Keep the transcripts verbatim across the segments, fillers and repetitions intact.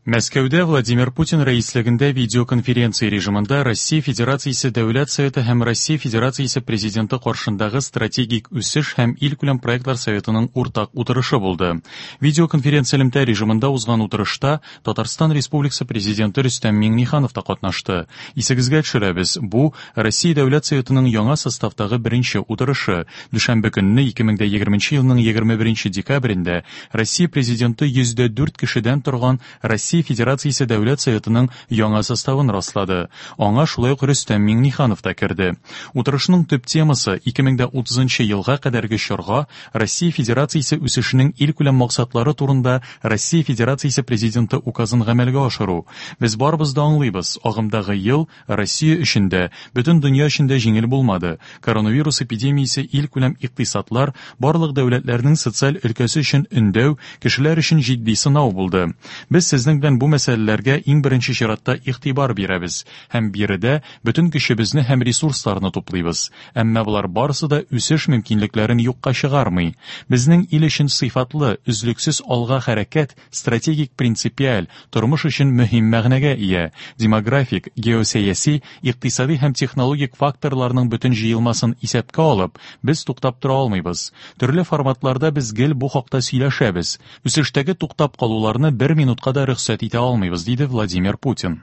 Мәскәүдә Владимир Путин рәислегендә видеоконференция режимында Россия Федерациясе Дәүләт Советы һәм Россия Федерациясе Президенты каршындагы стратегик үсеш һәм илкүләм проектлар советының уртак утырышы булды. Видеоконференция элемтә режимында узган утырышта Татарстан Республикасы Президенты Рөстәм Миңнеханов та катнашты. Исегезгә төшерәбез, бу Россия Дәүләт Советының яңа составтагы беренче утырышы. Дүшәмбе көнне ике мең егерменче елның егерме беренче декабрендә Россия Президенты йөз дә дүрт кешедән торган Россия Федерациясе Дәүләт Советының яңа составын раслады. Аңа шулай ук Рөстәм Миңнеханов та керде. Утырышның төп темасы ике мең утызынчы елга кадәрге чорга Россия Федерациясе үсешенең илкүләм максатлары турында Россия Федерациясе Президенты указын гамәлгә ашыру. Без барыбыз да аңлыйбыз, агымдагы ел Россия өчен дә, бөтен дөнья өчен дә җиңел булмады. Коронавирус эпидемиясе илкүләм икътисадлар, барлык дәүләтләрнең социаль өлкәсе өчен өндәү, кешеләр өчен җитди сынау булды. Без сезнең белән бу мәсьәләләргә иң беренче чиратта игътибар бирәбез һәм биредә бөтен көчебезне һәм ресурсларны туплыйбыз. Әмма болар барысы да үсеш мөмкинлекләрен юкка чыгармый. Безнең ил өчен сыйфатлы, өзлексез алга хәрәкәт стратегик принципиаль, тормыш өчен мөһим мәгънәгә ия. Демографик, геосәяси, икътисади һәм технологик факторларның бөтен җыелмасын исәпкә алып, без туктап тора алмыйбыз. Төрле форматларда без гел бу хакта сөйләшәбез. Үсештәге туктап калуларны бер минутка да рөхсәт итә алмыйбыз, диде Владимир Путин.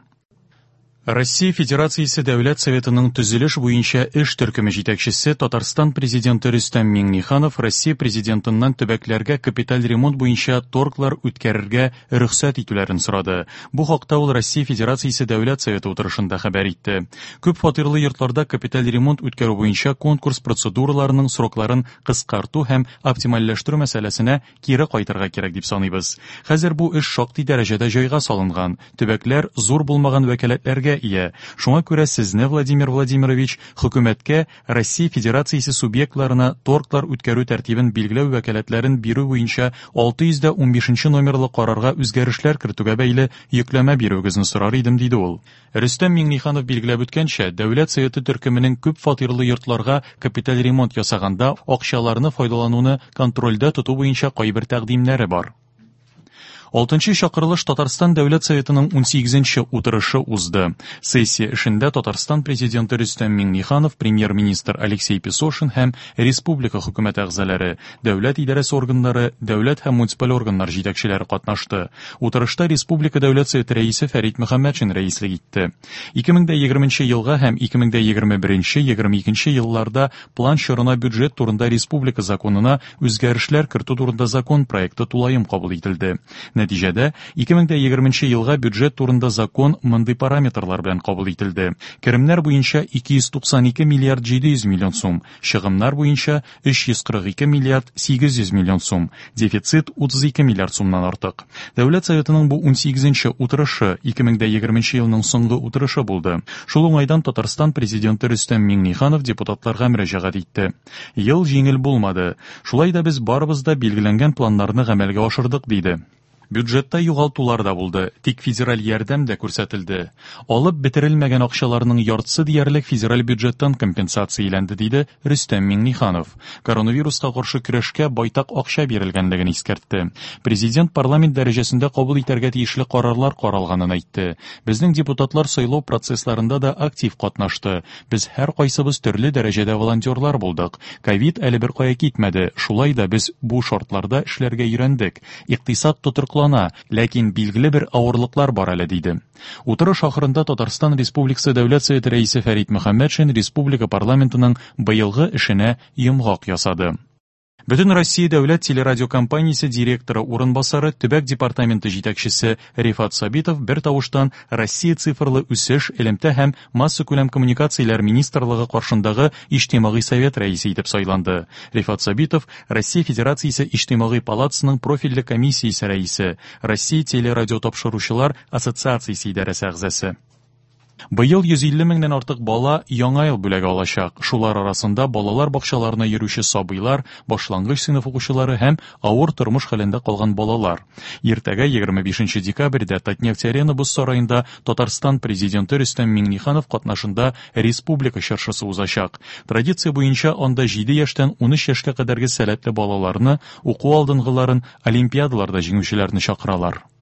Россия Федерациясе Дәүләт Советының төзелеш буенча эш төркеме җитәкчесе Татарстан Президенты Рөстәм Миңнеханов Россия Президентыннан төбәкләргә капиталь ремонт буенча торглар үткәрергә рөхсәт итүләрен сорады. Бу хакта ул Россия Федерациясе Дәүләт Советы утырышында хәбәр итте. Күп фатирлы йортларда капиталь ремонт үткәрү буенча конкурс процедураларының срокларын кыскарту һәм оптимальләштерү мәсьәләсенә кире кайтырга кирәк дип саныйбыз. Хәзер бу эш шактый дәрәҗәдә җайга салынган. Төбәкләр зур булмаган вәкаләтләргә ия. Шуңа күрә сезне, Владимир Владимирович, хөкүмәткә Россия Федерациясе субъектларына торглар үткәрү тәртибен билгеләү вәкаләтләрен бирү буенча алты йөз дә унбишенче номерлы карарга үзгәрешләр кертүгә бәйле йөкләмә бирүегезне сорар идем, диде ул. Рөстәм Миңнеханов билгеләп үткәнчә, Дәүләт Советы төркеменең күп фатирлы йортларга капиталь ремонт ясаганда акчаларны файдалануны контрольдә тоту буенча кайбер тәкъдимнәре бар. Алтынчы чакырылыш Татарстан Дәүләт Советының унсигезенче утырышы узды. Сессия эшендә Татарстан Президенты Рөстәм Миңнеханов, премьер-министр Алексей Песошин һәм республика хөкүмәте әгъзалары, дәүләт идарәсе органнары, дәүләт һәм муниципаль органнар җитәкчеләре катнашты. Утырышта Республика Дәүләт Советы рәисе Фәрит Мөхәммәтшин рәислек итте. Ике мең дә егерменче елга һәм ике мең дә егерме беренче, егерме икенче елларда план чорына бюджет турында республика законына үзгәрешләр кертү турында закон проекты тулаем кабул ителде. Нәтиҗәдә, ике мең дә егерменче елга бюджет турында закон мондый параметрлар белән кабул ителде. Керемнәр буенча ике йөз туксан ике миллиард җиде йөз миллион сум, чыгымнар буенча өч йөз кырык ике миллиард сигез йөз миллион сум, дефицит утыз ике миллиард сумнан артык. Дәүләт Советының бу унсигезенче утырышы ике мең дә егерменче елның соңгы утырышы булды. Шул уңайдан Татарстан Президенты Рөстәм Миңнеханов депутатларга мөрәҗәгать итте. Ел җиңел булмады. Шулай да без барыбыз да билгеләнгән планнарны гамәлгә ашырдык, диде. Бюджетта югалтулар да булды, тик федераль ярдәм дә күрсәтелде. Алып бетерелмәгән акчаларның яртысы диярлек федераль бюджеттан компенсацияләнде, диде Рөстәм Миңнеханов. Коронавируска каршы көрәшкә байтак акча бирелгәнлеген искәртте. Президент парламент дәрәҗәсендә кабул итәргә тиешле карарлар каралганын әйтте. Безнең депутатлар сайлау процессларында да актив катнашты. Без һәр кайсыбыз төрле дәрәҗәдә волонтерлар булдык. Ковид әле бер кая китмәде. Шулай да без бу шартларда эшләргә өйрәндек. Икътисад тотрыклана, ләкин билгеле бер авырлыклар бар әле, диде. Утырыш ахырында Татарстан Республикасы Дәүләт Советы рәисе Фәрит Мөхәммәтшин республика парламентының быелгы эшенә йомгак ясады. Бөтен Россия дәүләт телерадиокомпаниясе директоры урынбасары, төбәк департаменты җитәкчесе Рифат Сабитов бер тавыштан Россия цифрлы үсеш, элемтә һәм массакүләм коммуникацияләр министрлыгы каршындагы Иҗтимагый совет рәисе итеп сайланды. Рифат Сабитов Россия Федерациясе Иҗтимагый палатасының профильле комиссиясе рәисе, Россия телерадиотапшыручылар ассоциациясе идарәсе әгъзасы. Быел йөз илле меңнән артык бала Яңа ел бүләге алачак. Шулар арасында балалар бакчаларына йөрүче сабыйлар, башлангыч сыйныф укучылары һәм авыр тормыш хәлендә калган балалар. Иртәгә егерме бишенче декабрьдә Татнефть-Арена боз сараенда Татарстан президенты Рөстәм Миңнеханов катнашында республика чыршысы узачак. Традиция буенча анда җиде яшьтән унөч яшькә кадәрге сәләтле балаларны, уку алдынгыларын, олимпиадаларда җиңүчеләрне чакыралар.